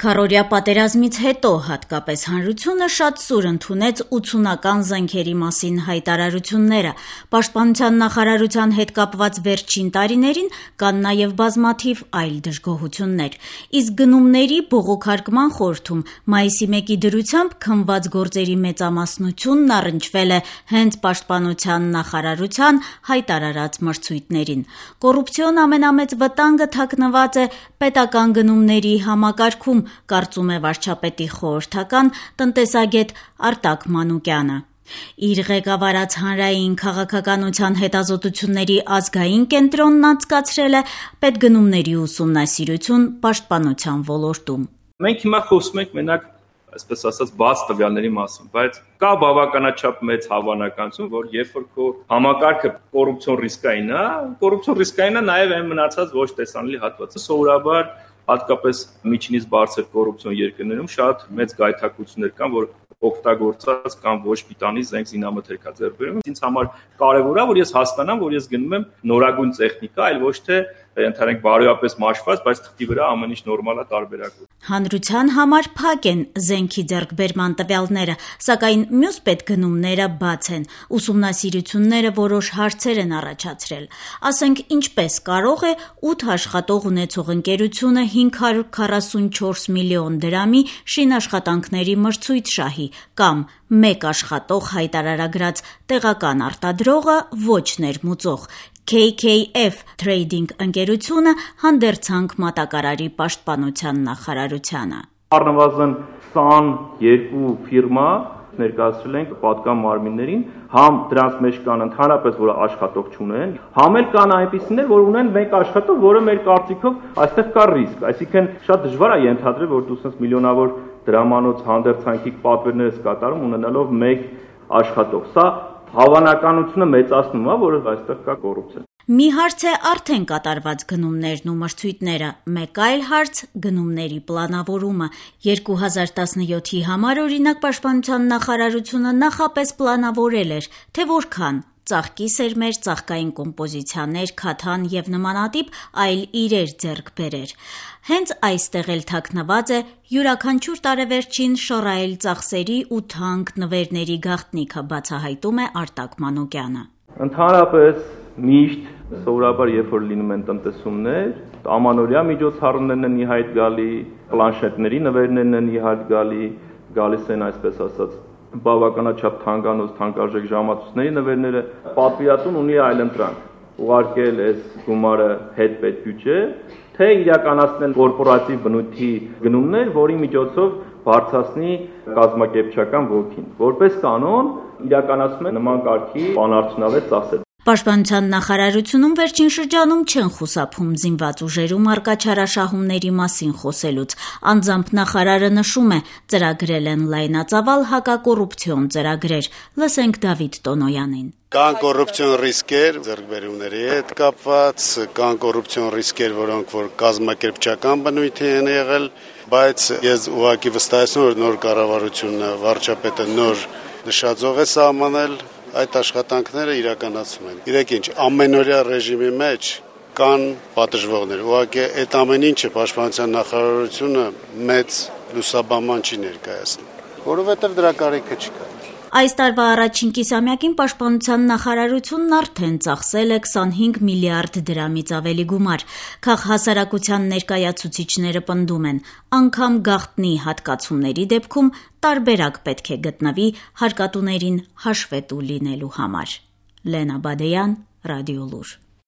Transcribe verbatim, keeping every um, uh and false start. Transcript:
Քառօրյա պատերազմից հետո հատկապես հանրությունը շատ սուր ընդունեց ութսունական զենքերի մասին հայտարարությունները։ Պաշտպանության նախարարության հետ կապված վերջին տարիներին կան նաև բազմաթիվ այլ դժգոհություններ։ Իսկ գնումների բողոքարկման խորհրդում մայիսի մեկի դրությամբ քննված գործերի մեծամասնությունն առնչվել է հենց պաշտպանության նախարարության հայտարարած մրցույթներին։ Կոռուպցիոն ամենամեծ վտանգը թաքնված է պետական գնումների համակարգում, կարծում է վարչապետի խորհրդական տնտեսագետ Արտակ Մանուկյանը։ Իր ղեկավարած հանրային քաղաքականության հետազոտությունների ազգային կենտրոնն անցկացրել է պետգնումների ուսումնասիրություն պաշտպանության ոլորտում։ Մենք հիմա խոսում ենք մենակ, այսպես ասած, բաց տվյալների մասին, բայց կա բավականաչափ մեծ հավանականություն, որ երբ որ քո համակարգը կոռուպցիոն ռիսկային է, կոռուպցիոն ռիսկային է նաև այն մնացած ոչ տեսանելի հատվածը։ Սովորաբար հատկապես միջինից բարձր կոռուպցիոն երկրներում շատ մեծ գայթակղություններ կան, որ օգտագործած կամ ոչ պիտանի զենք զինամթերք ձեռք բերում։ Ինձ համար կարևոր է, որ ես հասկանամ, որ ես գնում եմ նորագույն տեխնիկա, այլ ոչ թե ընդհանրենք բարոյապես մաշված, բայց թղթի վրա ամեն ինչ նորմալ է, տարբերակով։ Հանրության համար փակ են զենքի ձեռքբերման տվյալները, սակայն մյուս պետգնումները բաց են։ Ուսումնասիրությունները որոշ հարցեր են առաջացրել։ Ասենք, ինչպես կարող է ութ աշխատող ունեցող ընկերությունը հինգ հարյուր քառասունչորս միլիոն դրամի շինաշխատանքների մրցույթ շահի, կամ մեկ աշխատող հայտարարագրած տեղական արտադրողը ոչ ներմուծող։ Քեյ քեյ էֆ Trading ընկերությունը հանդերձանք մատակարարի պաշտպանության նախարարությանը։ Առնվազն քսաներկու ֆիրմա ներկայացրել ենք պատկան մարմիններին, համ դրանց մեջ կան ընդհանրապես, որ աշխատող չունեն, համ էլ կան այնպիսիներ, որ ունեն մեկ աշխատող, որը մեր կարծիքով այստեղ կա ռիսկ, այսինքն շատ դժվար է ենթադրել, որ դու ասես միլիոնավոր դրամանոց հանդերձանքի պատվերներ ես կատարում ունենալով մեկ աշխատող։ Սա հավանականությունը մեծացնում է, որ այստեղ կա կոռուպցիա։ Մի հարց է արդեն կատարված գնումներն ու մրցույթները, մեկ այլ հարց գնումների պլանավորումը։ երկու հազար տասնյոթի համար օրինակ պաշտպանության նախարարությունը նախապես պլանավորել էր, թե որքան ծաղկի սերմեր, ծաղկային կոմպոզիցիաներ, քաթան եւ նմանատիպ այլ իրեր ձեռք բերեր։ Հենց այստեղ էլ թաքնված է յուրաքանչյուր տարեվերջին շռայլ ծախսերի ու թանկ նվերների գաղտնիքը, բացահայտում է Արտակ Մանուկյանը։ Ընդհանրապես միշտ սովորաբար երբ որ լինում են տնտեսումներ, ամանորյա միջոցառումներն են ի հայտ գալի, պլանշետների նվերներն են ի հայտ գալի, գալիս են այսպես ասած բավականաչափ թանկանոց թանկարժեք ժամացույցների նվերները, պատվիրատուն ունի այլընտրանք ուղարկել այս գումարը հետ պետբյուջե, թե իրականացնել կորպորատիվ բնույթի գնումներ, որի միջոցով բարձրացնի կազմակերպչական ոգին։ Որպես կանոն իրականացում է նման կարգի բանարդյունավետ ծախսեր։ Պաշտպանության նախարարությունում վերջին շրջանում չեն խուսափում զինված ուժերում առկա չարաշահումների մասին խոսելուց։ Անձամբ նախարարը նշում է, ծրագրել են լայնածավալ հակակոռուպցիոն ծրագրեր։ Լսենք Դավիթ Տոնոյանին։ Կան կոռուպցիոն ռիսկեր ձեռքբերումների հետ կապված, կան կոռուպցիոն ռիսկեր, որոնք որ կազմակերպչական բնույթի են եղել, բայց ես ուղղակի վստահեցնում եմ, որ նոր կառավարությունը, վարչապետը նոր նշաձող է սահմանել, այդ աշխատանքները իրականացում են։ Իրեք ինչ, ամենօրյա ռեժիմի մեջ կան պատժվողներ։ Ուղղակի այդ ամեն ինչը պաշտպանության նախարարությունը մեծ լուսաբանման չի ներկայացնում, որովհետև դրա կարիքը չկա։ Այս տարվա առաջին կիսամյակին պաշտպանության նախարարությունն արդեն ծախսել է քսանհինգ միլիարդ դրամից ավելի գումար։ Քաղհասարակության ներկայացուցիչները պնդում են, անգամ գաղտնի հատկացումների դեպքում տարբերակ պետք է գտնվի հարկատուներին հաշվետու լինելու համար։ Լենա Բադեյան, Ռադիոլուր։